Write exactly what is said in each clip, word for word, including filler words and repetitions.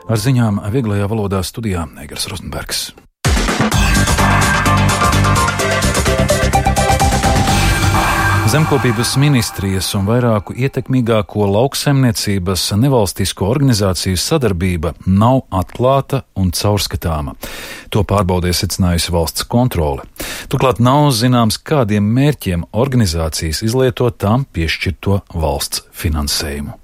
Ar ziņām vieglajā valodā studijā Eigars Rozenbergs. Zemkopības ministrijas un vairāku ietekmīgāko lauksaimniecības nevalstisko organizāciju sadarbība nav atklāta un caurskatāma. To pārbaudē secinājusi valsts kontrole. Turklāt nav zināms, kādiem mērķiem organizācijas izlieto tām piešķirto valsts finansējumu.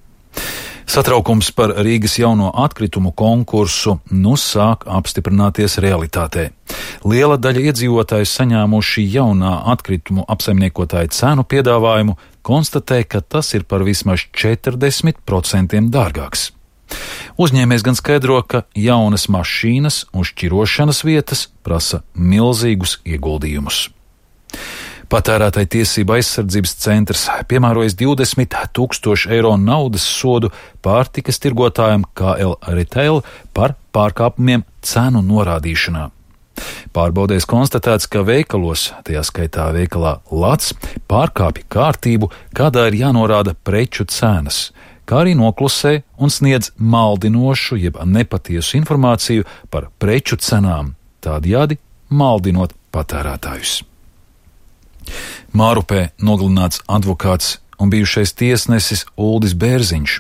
Satraukums par Rīgas jauno atkritumu konkursu nu sāk apstiprināties realitātē. Liela daļa iedzīvotāju saņēmuši jaunā atkritumu apsaimniekotāja cenu piedāvājumu, konstatē, ka tas ir par vismaz četrdesmit procentiem dārgāks. Uzņēmējs gan skaidro, ka jaunas mašīnas un šķirošanas vietas prasa milzīgus ieguldījumus. Patērētāju tiesību aizsardzības centrs piemērojas divdesmit tūkstošu eiro naudas sodu pārtikas tirgotājam K L Retail par pārkāpumiem cenu norādīšanā. Pārbaudēs konstatēts, ka veikalos, tajā skaitā veikalā Lats, pārkāpja kārtību, kādā ir jānorāda preču cenas, kā arī noklusē un sniedz maldinošu jeb nepatiesu informāciju par preču cenām, tādējādi maldinot patērētājus. Mārupē nogalināts advokāts un bijušais tiesnesis Uldis Bērziņš.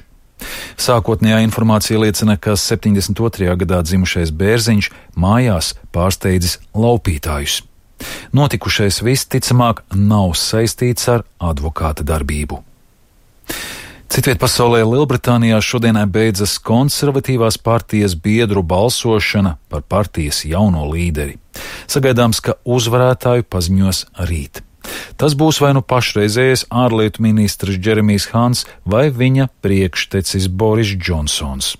Sākotnējā informācija liecina, ka septiņdesmit otrajā gadā dzimušais Bērziņš mājās pārsteidzis laupītājus. Notikušais visticamāk nav saistīts ar advokāta darbību. Citviet pasaulē Lielbritānijā šodien beidzas konservatīvās partijas biedru balsošana par partijas jauno līderi. Sagaidāms, ka uzvarētāju paziņos rīt. Tas būs vai nu pašreizējais ārlietu ministrs Džeremijs Hants vai viņa priekštecis Boris Džonsons.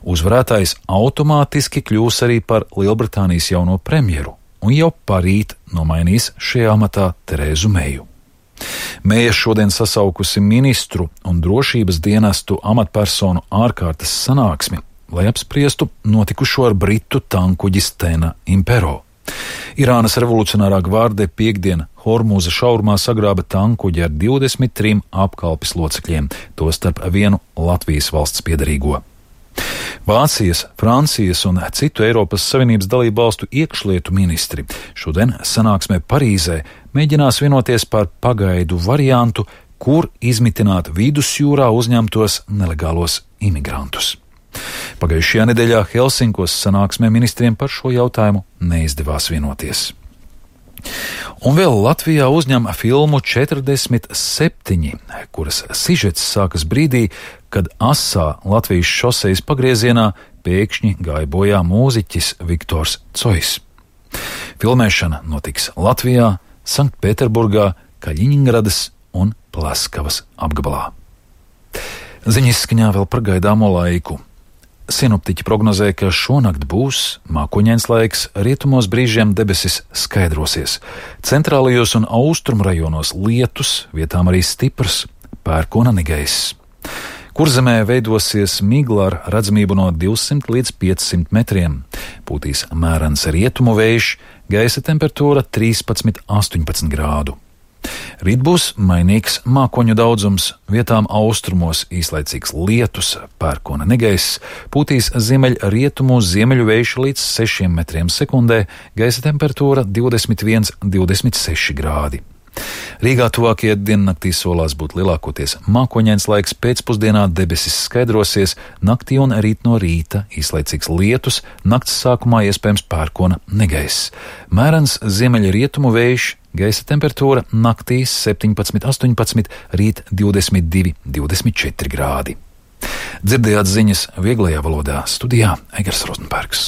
Uzvarētājs automātiski kļūs arī par Lielbritānijas jauno premjeru un jau parīt nomainīs šajā amatā Terēzu Meju. Meja šodien sasaukusi ministru un drošības dienestu amatpersonu ārkārtas sanāksmi, lai apspriestu notikušo ar britu tankuģi Stena Impero. Irānas revolucionārā gvārde piekdien Hormūza šaurumā sagrāba tankuģi ar divdesmit trim apkalpes locekļiem, tostarp vienu Latvijas valsts piederīgo. Vācijas, Francijas un citu Eiropas Savienības dalību valstu iekšlietu ministri šodien sanāksmē Parīzē mēģinās vienoties par pagaidu variantu, kur izmitināt vidusjūrā uzņemtos nelegālos imigrantus. Pagājušajā nedēļā Helsinkos sanāksmē ministriem par šo jautājumu neizdevās vienoties. Un vēl Latvijā uzņem filmu četrdesmit septiņi, kuras sižets sākas brīdī, kad asā Latvijas šosejas pagriezienā pēkšņi gāja bojā mūziķis Viktors Cojs. Filmēšana notiks Latvijā, Sanktpēterburgā, Kaļiņingradas un Pleskavas apgabalā. Ziņas izskaņā vēl par gaidāmo laiku. Sinoptiķi prognozē, ka šonakt būs mākoņains laiks, rietumos brīžiem debesis skaidrosies. Centrālajos un austrumu rajonos lietus, vietām arī stiprs, pērkona negaiss. Kurzemē veidosies migla ar redzamību no divsimt līdz piecsimt metriem. Pūtīs mērens rietumu vējš, gaisa temperatūra trīspadsmit līdz astoņpadsmit grādu. Rīt būs mainīgs mākoņu daudzums, vietām austrumos īslaicīgs lietus, pērkona negaiss, pūtīs ziemeļ rietumu ziemeļu vējš līdz sešiem metriem sekundē, gaisa temperatūra divdesmit viens līdz divdesmit seši grādi. Rīgā tuvākie diennaktī solās būt lielākoties mākoņains laiks, pēcpusdienā debesis skaidrosies, naktī un rīt no rīta īslaicīgs lietus, nakts sākumā iespējams pērkona negaiss. Mērens ziemeļa rietumu vējš, gaisa temperatūra naktī septiņpadsmit līdz astoņpadsmit, rīt divdesmit divi līdz divdesmit četri grādi. Dzirdējāt ziņas vieglajā valodā, studijā Eigars Rozenbergs.